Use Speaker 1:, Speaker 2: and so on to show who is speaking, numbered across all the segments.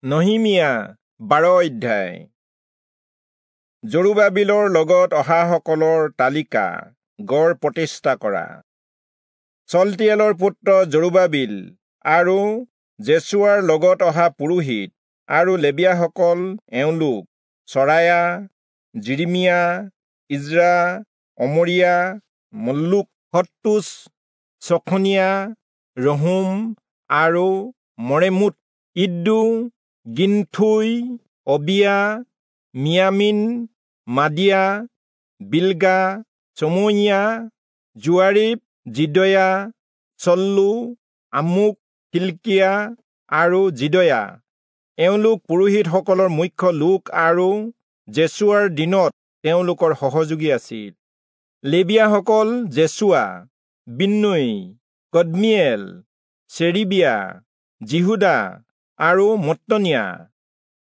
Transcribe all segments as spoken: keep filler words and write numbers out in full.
Speaker 1: নহিমিয়া বাৰ অধ্যায়। জৰুবাবিলৰ লগত অহাসকলৰ তালিকা গড় প্ৰতিষ্ঠা কৰা। চলতিয়েলৰ পুত্ৰ জৰুবাবিল আৰু জেচুৱাৰ লগত অহা পুৰোহিত আৰু লেবীয়াসকল এওঁলোক চৰায়া, যিৰিমিয়া, ইজ্ৰা, অমৰিয়া, মল্লুক, হত্তুচ, চখনিয়া, ৰহুম আৰু মৰেমোত, ইদ্দো, গিন্থোই, অবিয়া, মিয়ামিন, মাদিয়া, বিলগা, চময়িয়া, যোৱাৰীব, যিদয়া, চল্লু, আমুক, হিল্কিয়া আৰু যিদয়া। এওঁলোক পুৰোহিতসকলৰ মুখ্য লোক আৰু জেচুৱাৰ দিনত তেওঁলোকৰ সহযোগী আছিল। লেবীয়াসকল জেচুৱা, বিন্নৈ, কদ্মীয়েল, চেৰিবিয়া, যিহূদা আৰু মত্তনিয়া।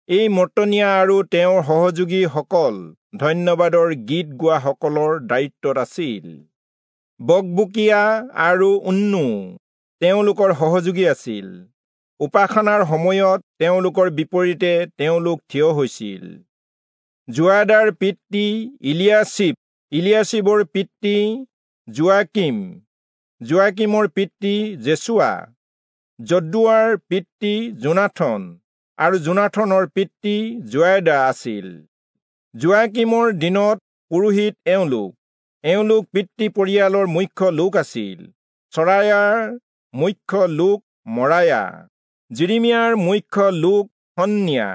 Speaker 1: এই মত্তনিয়া আৰু তেওঁৰ সহযোগীসকল ধন্যবাদৰ গীত গোৱাসকলৰ দায়িত্বত আছিল। বকবুকিয়া আৰু উন্নু তেওঁলোকৰ সহযোগী আছিল। উপাসনাৰ সময়ত তেওঁলোকৰ বিপৰীতে তেওঁলোক থিয় হৈছিল। যোৱাদাৰ পিতৃ ইলিয়াছিব, ইলিয়াছিবৰ পিতৃ যোৱাকিম, যোৱাকিমৰ পিতৃ জেচুৱা, যদ্দুৱাৰ পিতৃ যোনাথন আৰু যোনাথনৰ পিতৃ যোৱাদা আছিল। যোৱাকিমৰ দিনত পুৰোহিত এওঁলোক এওঁলোক পিতৃ পৰিয়ালৰ মুখ্য লোক আছিল। চৰায়াৰ মুখ্য লোক মৰায়া, যিৰিমিয়াৰ মুখ্য লোক হন্নিয়া,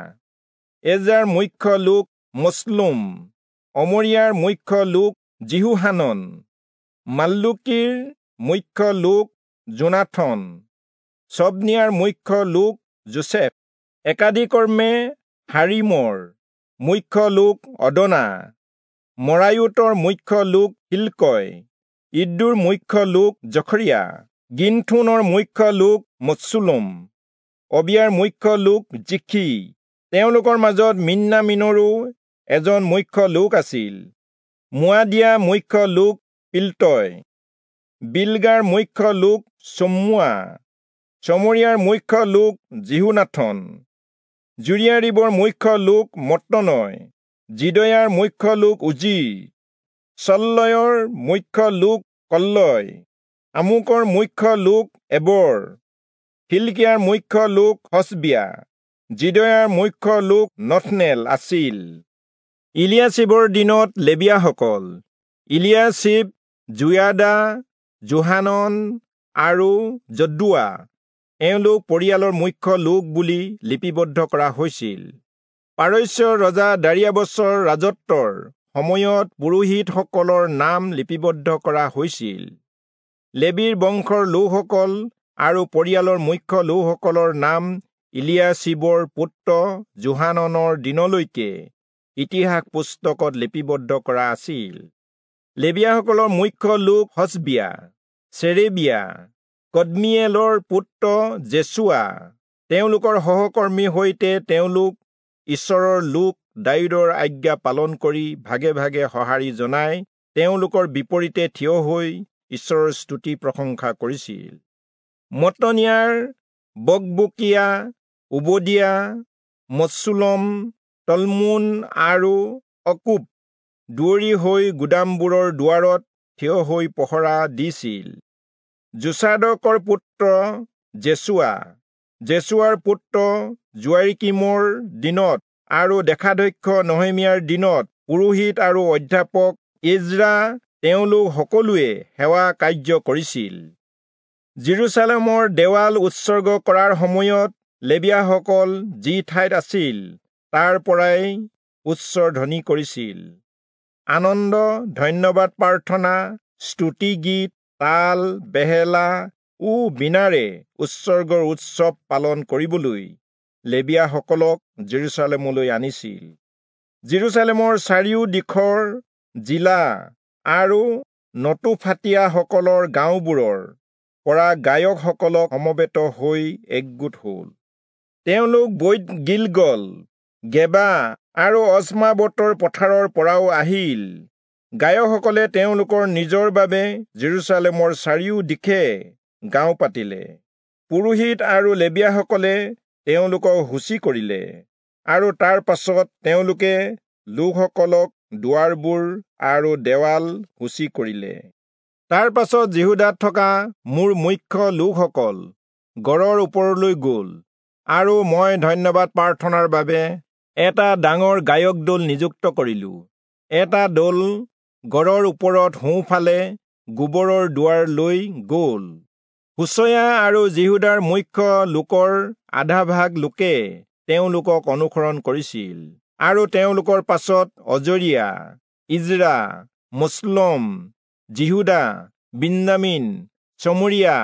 Speaker 1: এজাৰ মুখ্য লোক মছলুম, অমৰিয়াৰ মুখ্য লোক যিহোহানন, মাল্লুকীৰ মুখ্য লোক যোনাথন, চবনিয়াৰ মুখ্য লোক যোচেফ, একাদিকৰ্মে হাৰিমৰ মুখ্য লোক অদনা, মৰায়োতৰ মুখ্য লোক হিল্কয়, ইদ্দোৰ মুখ্য লোক জখৰিয়া, গিন্থোনৰ মুখ্য লোক মচ্চুলম, অবিয়াৰ মুখ্য লোক জিখি। তেওঁলোকৰ মাজত মিন্যামিনৰো এজন মুখ্য লোক আছিল। মোৱাদিয়া মুখ্য লোক পিল্টয়, বিলগাৰ মুখ্য লোক চম্মুৱা, চমৰিয়াৰ মুখ্য লোক যিহোনাথন, জুৰিয়াৰীবৰ মুখ্য লোক মত্তনয়, যিদয়াৰ মুখ্য লোক উজি, চল্লয়ৰ মুখ্য লোক কল্লয়, আমুকৰ মুখ্য লোক এবৰ, হিল্কিয়াৰ মুখ্য লোক হচবিয়া, যিদয়াৰ মুখ্য লোক নথনেল আছিল। ইলিয়াছিবৰ দিনত লেবীয়াসকল ইলিয়াছিব, যোয়াদা, যোহানন আৰু যদ্দুৱা এওঁলোক পৰিয়ালৰ মুখ্য লোক বুলি লিপিবদ্ধ কৰা হৈছিল। পাৰস্যৰ ৰজা দাৰিয়াবছৰ ৰাজত্বৰ সময়ত পুৰোহিতসকলৰ নাম লিপিবদ্ধ কৰা হৈছিল। লেবীৰ বংশৰ লোকসকল আৰু পৰিয়ালৰ মুখ্য লোকসকলৰ নাম ইলিয়াছিবৰ পুত্ৰ যোহাননৰ দিনলৈকে ইতিহাস পুস্তকত লিপিবদ্ধ কৰা আছিল। লেবীয়াসকলৰ মুখ্য লোক হচবিয়া, চেৰেবিয়া, কদ্মীয়েলৰ পুত্ৰ জেচুৱা, তেওঁলোকৰ সহকৰ্মীৰ সৈতে তেওঁলোক ঈশ্বৰৰ লোক দায়ূদৰ আজ্ঞা পালন কৰি ভাগে ভাগে সঁহাৰি জনাই তেওঁলোকৰ বিপৰীতে থিয় হৈ ঈশ্বৰৰ স্তুতি প্ৰশংসা কৰিছিল। মত্তনিয়াৰ বকবুকিয়া, ওবদিয়া, মচ্চুলম, তলমোন আৰু অকুব দুৱৰী হৈ গুদামবোৰৰ দুৱাৰত থিয় হৈ পহৰা দিছিল। যোচাদকৰ পুত্ৰ জেচুৱা, জেচুৱাৰ পুত্ৰ যোৱাৰিকীমৰ দিনত আৰু দেশাধ্যক্ষ নহিমিয়াৰ দিনত পুৰোহিত আৰু অধ্যাপক ইজ্ৰা তেওঁলোক সকলোৱে সেৱা কাৰ্য কৰিছিল। যিৰূচালেমৰ দেৱাল উৎসৰ্গ কৰাৰ সময়ত লেবীয়াসকল যি ঠাইত আছিল তাৰ পৰাই উচ্চ ধ্বনি কৰিছিল। আনন্দ, ধন্যবাদ প্ৰাৰ্থনা, স্তুতিগীত, তাল, বেহেলা ও বীণাৰে উৎসৰ্গৰ উৎসৱ পালন কৰিবলৈ লেবীয়াসকলক যিৰূচালেমলৈ আনিছিল। যিৰূচালেমৰ চাৰিও দিশৰ জিলা আৰু নটোফাতীয়াসকলৰ গাঁওবোৰৰ পৰা গায়কসকলক সমবেত হৈ একগোট হ'ল। তেওঁলোক বৈত গিলগল, গেবা আৰু অজমাবতৰ পথাৰৰ পৰাও আহিল। গায়কসকলে তেওঁলোকৰ নিজৰ বাবে যিৰূচালেমৰ চাৰিও দিশে গাঁও পাতিলে। পুৰোহিত আৰু লেবীয়াসকলে তেওঁলোকক সূচী কৰিলে, আৰু তাৰ পাছত তেওঁলোকে লোকসকলক দুৱাৰবোৰ আৰু দেৱাল সূচী কৰিলে। তাৰ পাছত যিহূদাত থকা মোৰ মুখ্য লোকসকল গড়ৰ ওপৰলৈ গ'ল, আৰু মই ধন্যবাদ প্ৰাৰ্থনাৰ বাবে এটা ডাঙৰ গায়ক দল নিযুক্ত কৰিলো। এটা দল গড়ৰ ওপৰত সোঁফালে গোবৰৰ দুৱাৰ লৈ গ'ল। হোচয়া আৰু যিহূদাৰ মুখ্য লোকৰ আধাভাগ লোকে তেওঁলোকক অনুসৰণ কৰিছিল, আৰু তেওঁলোকৰ পাছত অজৰিয়া, ইজ্ৰা, মুছলম, যিহূদা, বিন্যামীন, চমৰীয়া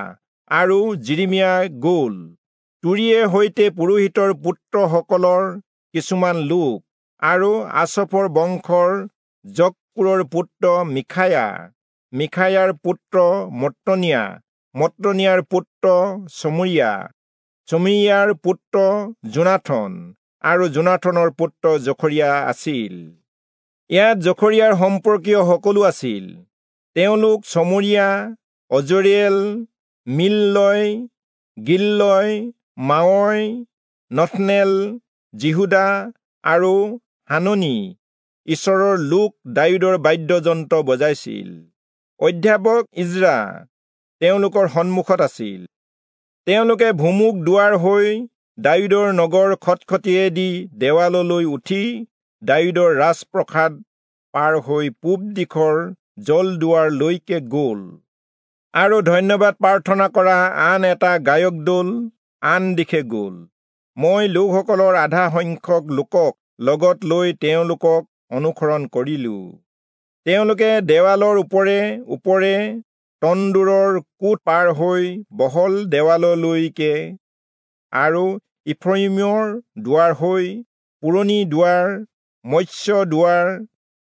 Speaker 1: আৰু যিৰিমিয়া গ'ল। তুৰীয়ে সৈতে পুৰোহিতৰ পুত্ৰসকলৰ কিছুমান লোক আৰু আচফৰ বংশৰ জক্কুৰৰ পুত্ৰ মিখায়া, মিখায়াৰ পুত্ৰ মত্তনিয়া, মত্তনিয়াৰ পুত্ৰ চমৰীয়া, চমৰীয়াৰ পুত্ৰ যোনাথন আৰু যোনাথনৰ পুত্ৰ জখৰিয়া আছিল। ইয়াত জখৰিয়াৰ সম্পৰ্কীয় সকলো আছিল। তেওঁলোক চমৰীয়া, অজৰিয়েল, মিল্লয়, গিল্লয়, মাৱয়, নথনেল, যিহূদা আৰু হাননি ঈশ্বৰৰ লোক দায়ূদৰ বাদ্যযন্ত্ৰ বজাইছিল। অধ্যাপক ইজ্ৰা তেওঁলোকৰ সন্মুখত আছিল। তেওঁলোকে ভুমুক দুৱাৰ হৈ দায়ূদৰ নগৰ খটখটিয়েদি দেৱাললৈ উঠি দায়ূদৰ ৰাজপ্ৰসাদ পাৰ হৈ পূব দিশৰ জলদুৱাৰলৈকে গ'ল, আৰু ধন্যবাদ প্ৰাৰ্থনা কৰা আন এটা গায়ক দল আন দিশে গ'ল। মই লোকসকলৰ আধা সংখ্যক লোকক লগত লৈ তেওঁলোকক অনুসৰণ কৰিলো। তেওঁলোকে দেৱালৰ ওপৰে ওপৰে তন্দুৰৰ কোঠ পাৰ হৈ বহল দেৱাললৈকে আৰু ইফ্ৰয়িমৰ দুৱাৰ হৈ পুৰণি দুৱাৰ, মৎস্য দুৱাৰ,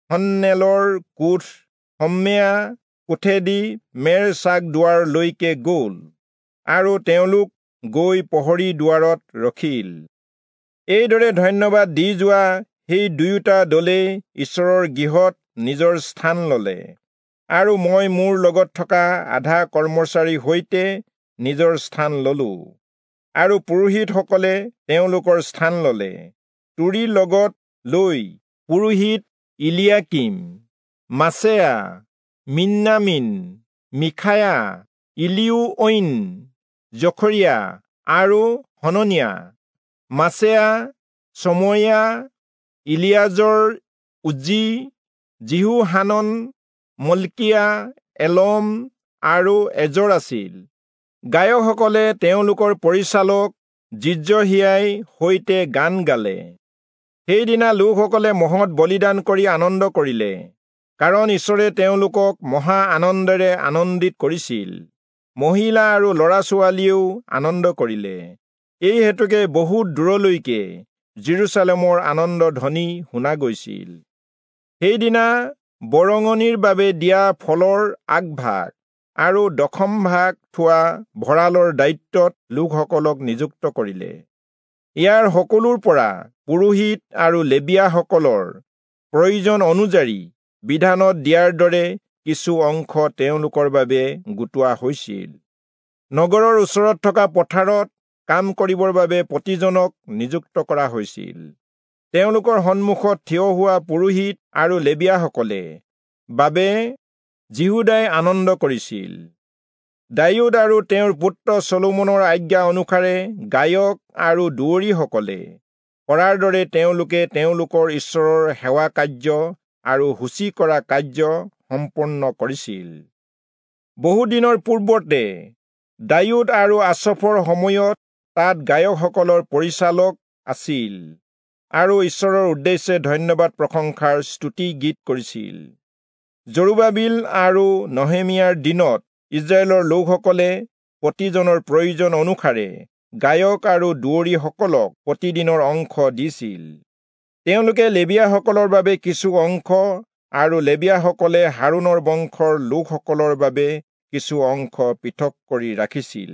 Speaker 1: হন্নেলৰ কোঠ, হম্মেয়া কোঠেদি মেৰ চাক দুৱাৰলৈকে গ'ল, আৰু তেওঁলোক গৈ প্ৰহৰী দুৱাৰত ৰখিল। এইদৰে ধন্যবাদ দি যোৱা সেই দুয়োটা দলেই ঈশ্বৰৰ গৃহত নিজৰ স্থান ললে, আৰু মই মোৰ লগত থকা আধা কৰ্মচাৰীৰ সৈতে নিজৰ স্থান ললো, আৰু পুৰোহিতসকলে তেওঁলোকৰ স্থান ললে। তুৰী লগত লৈ পুৰোহিত ইলিয়াকিম, মাছেয়া, মিন্যামীন, মিখায়া, ইলিউঐন, জখৰিয়া আৰু হননিয়া, মাছেয়া, চময়া, ইলিয়াজৰ, উজ্জি, যিহোহানন, মল্কিয়া, এলম আৰু এজৰ আছিল। গায়কসকলে তেওঁলোকৰ পৰিচালক জিজ্ৰহিয়াই সৈতে গান গালে। সেইদিনা লোকসকলে মহৎ বলিদান কৰি আনন্দ কৰিলে, কাৰণ ঈশ্বৰে তেওঁলোকক মহা আনন্দেৰে আনন্দিত কৰিছিল। মহিলা আৰু ল'ৰা ছোৱালীয়েও আনন্দ কৰিলে। এই হেতুকে বহুত দূৰলৈকে যিৰূচালেমৰ আনন্দ ধ্বনি শুনা গৈছিল। সেইদিনা বৰঙণিৰ বাবে দিয়া ফলৰ আগভাগ আৰু দশম ভাগ থোৱা ভঁৰালৰ দায়িত্বত লোকসকলক নিযুক্ত কৰিলে। ইয়াৰ সকলোৰ পৰা পুৰোহিত আৰু লেবীয়াসকলৰ প্ৰয়োজন অনুযায়ী বিধানত দিয়াৰ দৰে কিছু অংশ তেওঁলোকৰ বাবে গোটোৱা হৈছিল। নগৰৰ ওচৰত থকা পথাৰত কাম কৰিবৰ বাবে প্ৰতিজনক নিযুক্ত কৰা হৈছিল। তেওঁলোকৰ সন্মুখত থিয় হোৱা পুৰোহিত আৰু লেবীয়াসকলে বাবে যিহূদাই আনন্দ কৰিছিল। দায়ূদ আৰু তেওঁৰ পুত্ৰ চলোমনৰ আজ্ঞা অনুসাৰে গায়ক আৰু দুৱৰীসকলে কৰাৰ দৰে তেওঁলোকে তেওঁলোকৰ ঈশ্বৰৰ সেৱা কাৰ্য আৰু সূচী কৰা কাৰ্য সম্পন্ন কৰিছিল। বহুদিনৰ পূৰ্বতে দায়ূদ আৰু আচফৰ সময়ত তাত গায়কসকলৰ পৰিচালক আছিল আৰু ঈশ্বৰৰ উদ্দেশ্যে ধন্যবাদ প্ৰশংসাৰ স্তুতি গীত কৰিছিল। জৰুবাবিল আৰু নহেমিয়াৰ দিনত ইস্ৰায়েলৰ লোকসকলে প্ৰতিজনৰ প্ৰয়োজন অনুসাৰে গায়ক আৰু দুৱৰীসকলক প্ৰতিদিনৰ অংশ দিছিল। তেওঁলোকে লেবীয়াসকলৰ বাবে কিছু অংশ আৰু লেবীয়াসকলে হাৰোণৰ বংশৰ লোকসকলৰ বাবে কিছু অংশ পৃথক কৰি ৰাখিছিল।